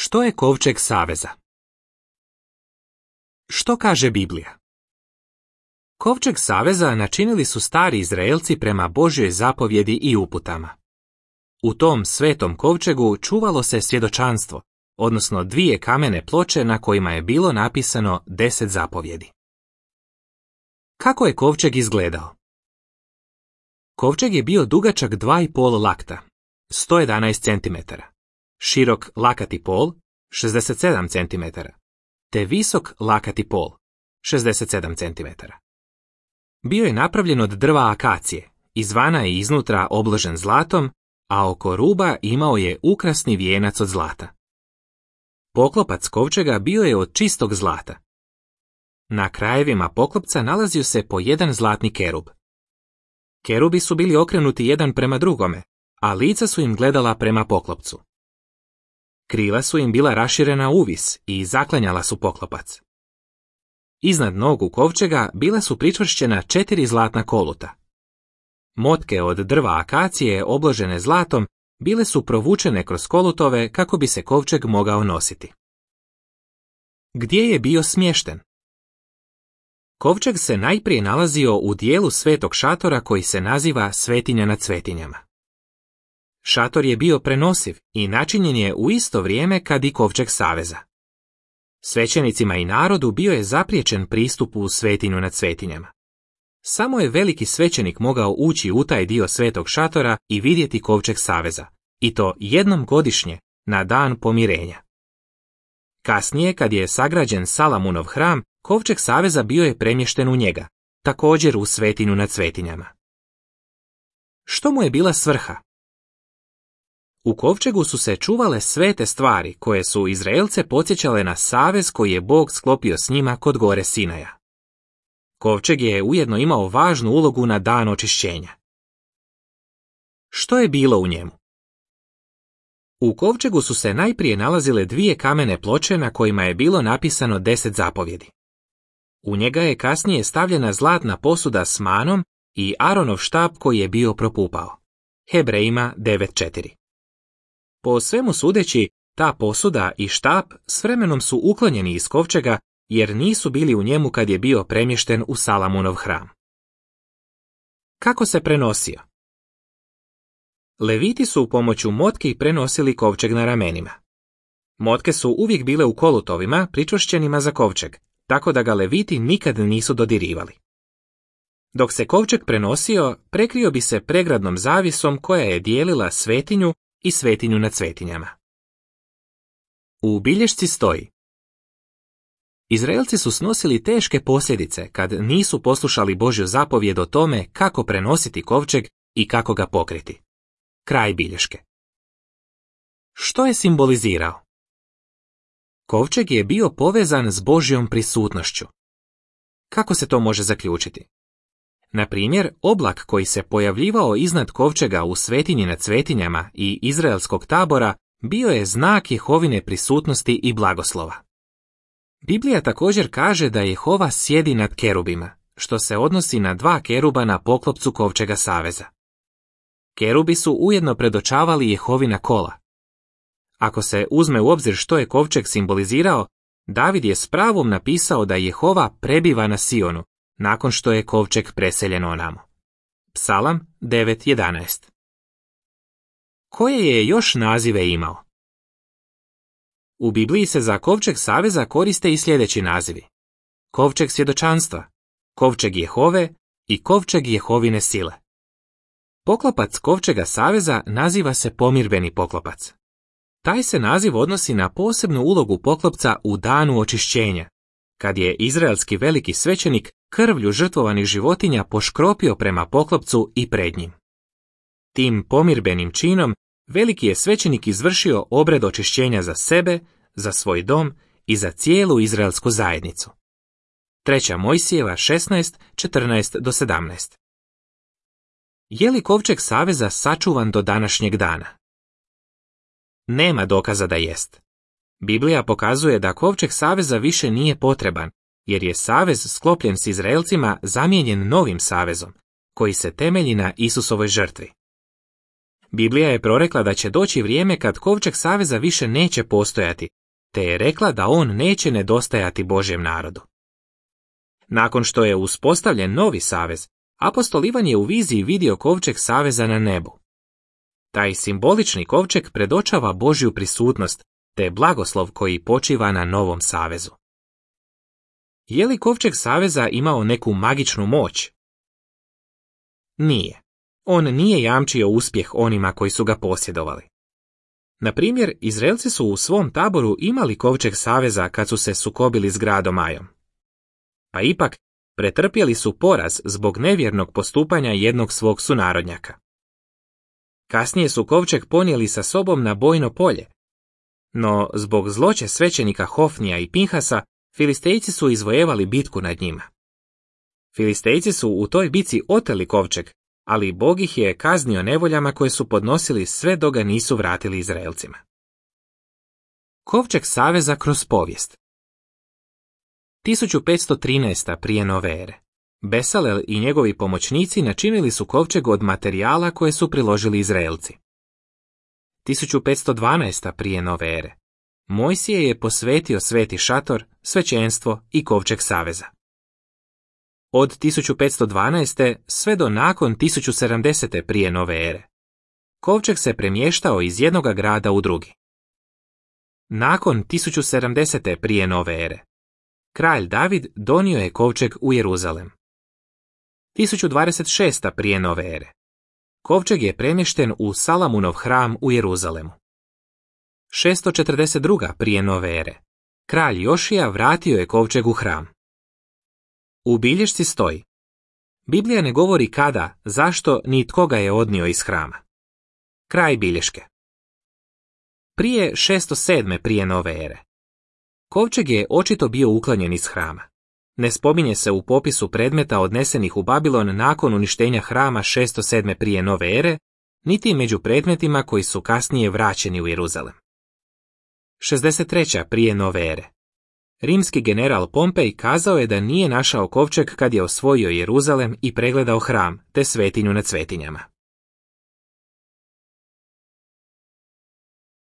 Što je kovčeg saveza? Što kaže Biblija? Kovčeg saveza načinili su stari Izraelci prema Božjoj zapovjedi i uputama. U tom svetom kovčegu čuvalo se svjedočanstvo, odnosno 2 kamene ploče na kojima je bilo napisano 10 zapovjedi. Kako je kovčeg izgledao? Kovčeg je bio dugačak 2,5 lakta, 111 cm, širok lakati pol, 67 cm, te visok lakati pol, 67 cm. Bio je napravljen od drva akacije, izvana i iznutra obložen zlatom, a oko ruba imao je ukrasni vijenac od zlata. Poklopac kovčega bio je od čistog zlata. Na krajevima poklopca nalazio se po jedan zlatni kerub. Kerubi su bili okrenuti jedan prema drugome, a lica su im gledala prema poklopcu. Krila su im bila raširena uvis i zaklanjala su poklopac. Iznad nogu kovčega bila su pričvršćena 4 zlatna koluta. Motke od drva akacije obložene zlatom bile su provučene kroz kolutove kako bi se kovčeg mogao nositi. Gdje je bio smješten? Kovčeg se najprije nalazio u dijelu svetog šatora koji se naziva svetinja nad svetinjama. Šator je bio prenosiv i načinjen je u isto vrijeme kad i kovčeg saveza. Svećenicima i narodu bio je zapriječen pristup u svetinju nad svetinjama. Samo je veliki svećenik mogao ući u taj dio svetog šatora i vidjeti kovčeg saveza, i to jednom godišnje, na dan pomirenja. Kasnije, kad je sagrađen Salamunov hram, kovčeg saveza bio je premješten u njega, također u svetinju nad svetinjama. Što mu je bila svrha? U kovčegu su se čuvale svete stvari koje su Izraelce podsjećale na savez koji je Bog sklopio s njima kod gore Sinaja. Kovčeg je ujedno imao važnu ulogu na dan očišćenja. Što je bilo u njemu? U kovčegu su se najprije nalazile 2 kamene ploče na kojima je bilo napisano 10 zapovjedi. U njega je kasnije stavljena zlatna posuda s manom i Aronov štap koji je bio propupao. Hebrejima 9:4. Po svemu sudeći, ta posuda i štap s vremenom su uklonjeni iz kovčega jer nisu bili u njemu kad je bio premješten u Salamunov hram. Kako se prenosio? Leviti su pomoću motki prenosili kovčeg na ramenima. Motke su uvijek bile u kolutovima pričvršćenima za kovčeg, tako da ga Leviti nikad nisu dodirivali. Dok se kovčeg prenosio, prekrio bi se pregradnom zavisom koja je dijelila svetinju i svetinju nad svetinjama. U bilješci stoji: Izraelci su snosili teške posljedice kad nisu poslušali Božju zapovjed o tome kako prenositi kovčeg i kako ga pokriti. Kraj bilješke. Što je simbolizirao? Kovčeg je bio povezan s Božjom prisutnošću. Kako se to može zaključiti? Na primjer, oblak koji se pojavljivao iznad kovčega u svetinji nad svetinjama i izraelskog tabora bio je znak Jehovine prisutnosti i blagoslova. Biblija također kaže da Jehova sjedi nad kerubima, što se odnosi na 2 keruba na poklopcu kovčega saveza. Kerubi su ujedno predočavali Jehovina kola. Ako se uzme u obzir što je kovčeg simbolizirao, David je s pravom napisao da Jehova prebiva na Sionu, nakon što je kovčeg preseljen onamo. Psalam 9:11. Koje je još nazive imao? U Bibliji se za kovčeg saveza koriste i sljedeći nazivi: kovčeg svjedočanstva, kovčeg Jehove i kovčeg Jehovine sile. Poklopac kovčega saveza naziva se pomirbeni poklopac. Taj se naziv odnosi na posebnu ulogu poklopca u danu očišćenja, kad je izraelski veliki svećenik krvlju žrtvovanih životinja poškropio prema poklopcu i pred njim. Tim pomirbenim činom veliki je svećenik izvršio obred očišćenja za sebe, za svoj dom i za cijelu izraelsku zajednicu. 3. Mojsijeva 16:14-17. Je li kovčeg saveza sačuvan do današnjeg dana? Nema dokaza da jest. Biblija pokazuje da kovčeg saveza više nije potreban, jer je savez sklopljen s Izraelcima zamijenjen novim savezom, koji se temelji na Isusovoj žrtvi. Biblija je prorekla da će doći vrijeme kad kovčeg saveza više neće postojati, te je rekla da on neće nedostajati Božjem narodu. Nakon što je uspostavljen novi savez, apostol Ivan je u viziji vidio kovčeg saveza na nebu. Taj simbolični kovčeg predočava Božju prisutnost, te blagoslov koji počiva na novom savezu. Je li kovčeg saveza imao neku magičnu moć? Nije. On nije jamčio uspjeh onima koji su ga posjedovali. Na primjer, Izraelci su u svom taboru imali kovčeg saveza kad su se sukobili s gradom Ajom. Pa ipak, pretrpjeli su poraz zbog nevjernog postupanja jednog svog sunarodnjaka. Kasnije su kovčeg ponijeli sa sobom na bojno polje. No, zbog zloće svećenika Hofnija i Pinhasa, Filistejci su izvojevali bitku nad njima. Filistejci su u toj bitci oteli kovčeg, ali Bog ih je kaznio nevoljama koje su podnosili sve dok ga nisu vratili Izraelcima. Kovčeg saveza kroz povijest. 1513. prije nove ere. Besalel i njegovi pomoćnici načinili su kovčeg od materijala koje su priložili Izraelci. 1512. prije nove ere. Mojsije je posvetio sveti šator, svećenstvo i kovčeg saveza. Od 1512. sve do nakon 1070. prije nove ere. Kovčeg se premještao iz jednoga grada u drugi. Nakon 1070. prije nove ere. Kralj David donio je kovčeg u Jeruzalem. 1026. prije nove ere. Kovčeg je premješten u Salamunov hram u Jeruzalemu. 642. prije nove ere. Kralj Jošija vratio je kovčeg u hram. U bilješci stoji: Biblija ne govori kada, zašto, ni tko ga je odnio iz hrama. Kraj bilješke. Prije 607. prije nove ere. Kovčeg je očito bio uklonjen iz hrama. Ne spominje se u popisu predmeta odnesenih u Babilon nakon uništenja hrama 607. prije nove ere, niti među predmetima koji su kasnije vraćeni u Jeruzalem. 63. prije nove ere. Rimski general Pompej kazao je da nije našao kovčeg kad je osvojio Jeruzalem i pregledao hram, te svetinju nad svetinjama.